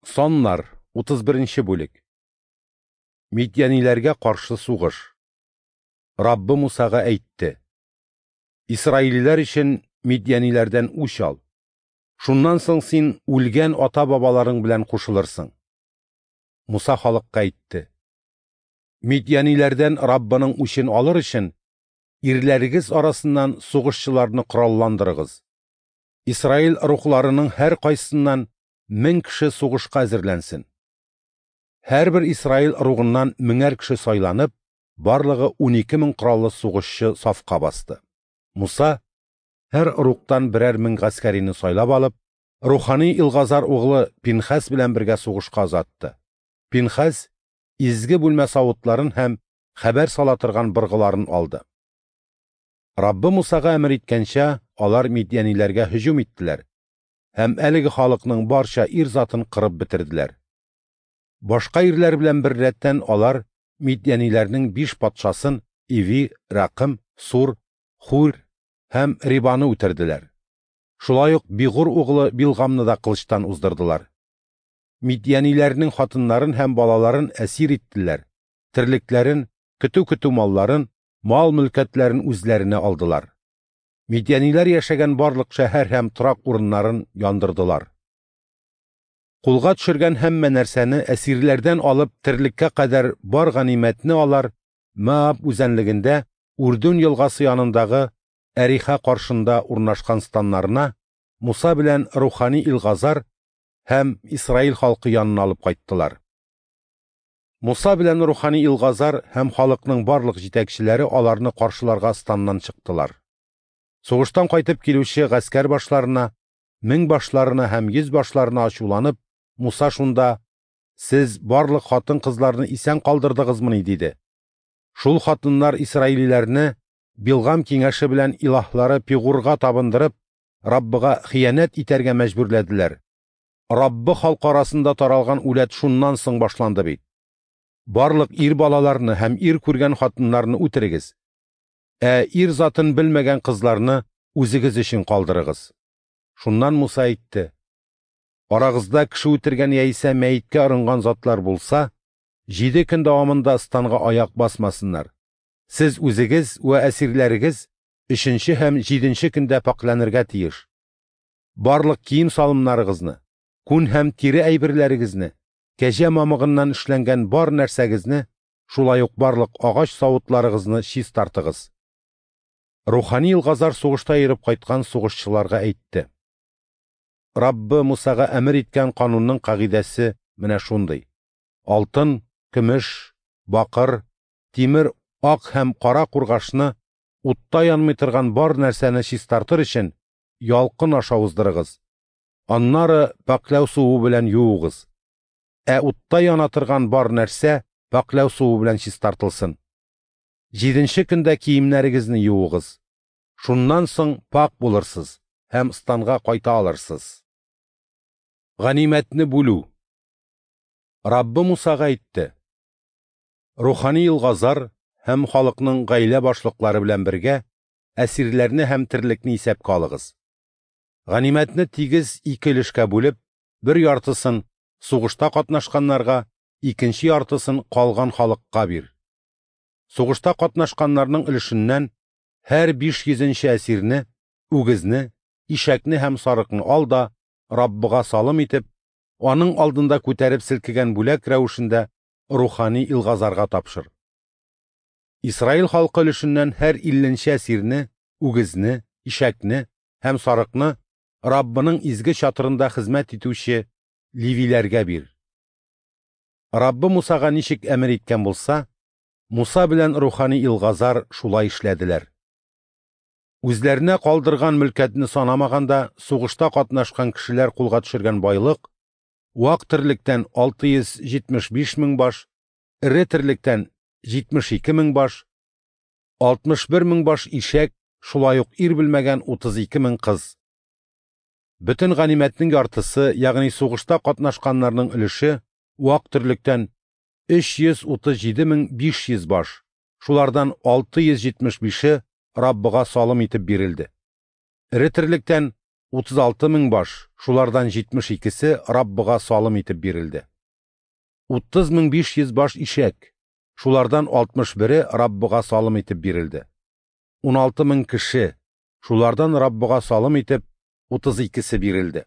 Саннар, 31 бүлек. Мидьяниләргә каршы сугыш. Раббы Мусага әйтте: Исраилиләр өчен мидьяниләрдән үч ал. Шуннан соң син үлгән ата-бабаларың белән кушылырсың. Муса халыкка әйтте: Мидьяниләрдән Раббының үчен алыр өчен, ирләрегез арасыннан сугышчыларны коралландырыгыз. Исраил ыругларының һәркайсыннан 1000 кеше сугышка әзерләнсен. Һәрбер Исраил ыругыннан меңәр кеше сайланып, барлыгы 12 мең кораллы сугышчы сафка басты. Муса, һәр ыругтан берәр мең гаскәрине сайлап алып, рухани Илгазар углы Пинхәс белән бергә сугышка озатты. Пинхәс изге бүлмә савытларын һәм хәбәр сала торган быргыларын алды. Раббы Мусага әмер иткәнчә, алар мидьяниләргә һөҗүм иттеләр һәм әлеге халыкның барча ир затын кырып бетерделәр. Башка ирләр белән беррәттән алар мидьяниләрнең 5 патшасын Иви, Ракым, Сур, Хур һәм Рибаны үтерделәр. Шулай ук Бигур углы Билгамны да кылычтан уздырдылар. Мидьяниләрнең хатыннарын һәм балаларын әсир иттеләр, терлекләрен, көтү-көтү малларын, мал-мөлкәтләрен үзләренә алдылар. Мидьяниләр яшәгән барлык шәһәр һәм торак урыннарын яндырдылар. Кулга төшергән һәммә нәрсәне әсирләрдән алып терлеккә кадәр бар ганимәтне алар Моаб үзәнлегендә Үрдүн елгасы янындагы Әриха каршында урнашкан станнарына Муса белән рухани Илгазар һәм Исраил халкы янына алып кайттылар. Муса белән рухани Илгазар һәм халыкның барлык җитәкчеләре аларны каршыларга станнан чыктылар. Сугыштан кайтып килүче гаскәр башларына, мең башларына һәм йөз башларына ачуланып, Муса шунда: «Сез барлык хатын-кызларны исән калдырдыгызмыни?» – диде. Шул хатыннар исраилиләрне Билгам киңәше белән илаһлары Пигурга табындырып, Раббыга хыянәт итәргә мәҗбүрләделәр. Раббы халкы арасында таралган үләт шуннан соң башланды бит. Барлык ир балаларны һәм ир күргән хатыннарны үтерегез. Ә ир затын белмәгән кызларны үзегез өчен калдырыгыз. Шуннан Муса әйтте: Арагызда кеше үтергән яисә мәеткә орынган затлар булса, 7 көн дәвамында станга аяк басмасыннар. Сез үзегез вә әсирләрегез 3нче һәм 7нче көндә пакьләнергә тиеш. Барлык кием-салымнарыгызны, күн һәм тире әйберләрегезне, кәҗә мамыгыннан эшләнгән бар нәрсәгезне, шулай ук барлык агач савытларыгызны чистартыгыз. Рухани Илгазар сугышта йөреп кайткан сугышчыларга әйтте: Раббы Мусага әмер иткән канунның кагыйдәсе менә шундый: алтын, көмеш, бакыр, тимер, ак һәм кара кургашны, утта янмый торган бар нәрсәне чистартыр өчен ялкын аша уздырыгыз. Аннары пакьләү суы белән юыгыз. Ә утта яна торган бар нәрсә пакьләү суы белән чистартылсын. 7нче көндә киемнәрегезне юыгыз. Шуннан соң пак булырсыз һәм станга кайта алырсыз. Ганимәтне бүлү. Раббы Мусага әйтте: Рухани Илгазар һәм халыкның гаилә башлыклары белән бергә әсирләрне һәм терлекне исәпкә алыгыз. Ганимәтне тигез 2 өлешкә бүлеп, бер яртысын сугышта катнашканнарга, икенче яртысын калган халыкка бир. Сугышта катнашканнарның өлешеннән һәр 500нче әсирне, үгезне, ишәкне һәм сарыкны ал да Раббыга салым итеп, аның алдында күтәреп селкегән бүләк рәвешендә рухани Илгазарга тапшыр. Исраил халкы өлешеннән һәр 50нче әсирне, үгезне, ишәкне һәм сарыкны Раббының изге чатырында хезмәт итүче левиләргә бир. Раббы Мусага ничек әмер иткән булса, Муса белән рухани Илгазар шулай эшләделәр. Үзләренә калдырган мөлкәтне санамаганда, сугышта катнашкан кешеләр кулга төшергән байлык вак терлектән 675 мең баш, эре терлектән 72 мең баш, 61 мең баш ишәк, шулай ук ир белмәгән 32 мең кыз. Бөтен ганимәтнең яртысы, ягъни сугышта катнашканнарның өлеше вак терлектән 337 500 баш, шулардан 675-е Раббыга салым итеп бирелде. Эре терлектән 36 мең баш, шулардан 72-се Раббыга салым итеп бирелде. 30 500 баш ишәк, шулардан 61-е Раббыга салым итеп бирелде. 16 мең кеше, шулардан Раббыга салым итеп 32-се бирелде.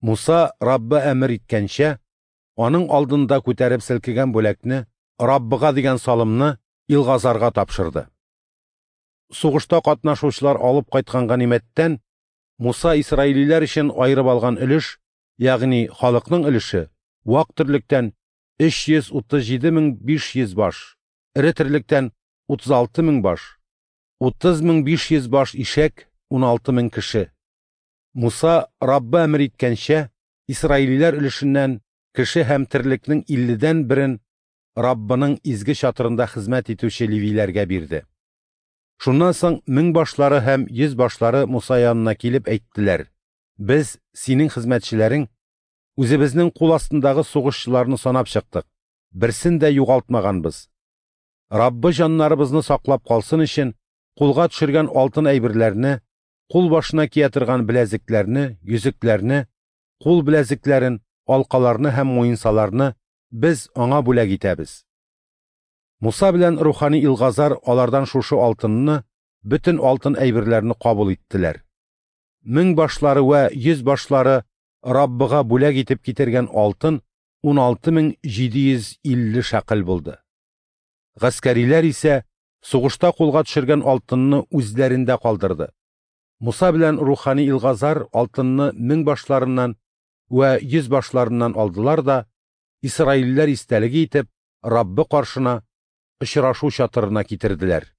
Муса Раббы әмер иткәнчә, аның алдында күтәреп селкегән бүләкне, Раббыга дигән салымны Илгазарга тапшырды. Сугышта катнашучылар алып кайткан ганимәттән Муса исраилиләр өчен аерып алган өлеш, ягъни халыкның өлеше, вак терлектән 337 500 баш, эре терлектән 36 мең баш, 30 500 баш ишәк, 16 мең кеше. Муса Раббы әмер иткәнчә, исраилиләр өлешеннән кеше һәм терлекнең 50-дән берен Раббының изге чатырында хезмәт итүче левиләргә бирде. Шуннан соң мең башлары һәм йөз башлары Муса янына килеп әйттеләр: Без, синең хезмәтчеләрең, үзебезнең кул астындагы сугышчыларны санап чыктык, берсен дә югалтмаганбыз. Раббы җаннарыбызны саклап калсын өчен, кулга төшергән алтын әйберләрне, кул башына кия торган беләзекләрне, йөзекләрне, кул беләзекләрен, алкаларны һәм муенсаларны без аңа бүләк итәбез. Муса белән рухани Илгазар алардан шушы алтынны, бөтен алтын әйберләрне кабул иттеләр. Мең башлары вә йөз башлары Раббыга бүләк итеп китергән алтын 16 750 шәкел булды. Гаскәриләр исә сугышта кулга төшергән алтынны үзләрендә калдырды. Муса белән рухани Илгазар алтынны мең башларыннан вә йөз башларыннан алдылар да, исраилләр истәлеге итеп, Раббы каршына очрашу чатырына китерделәр.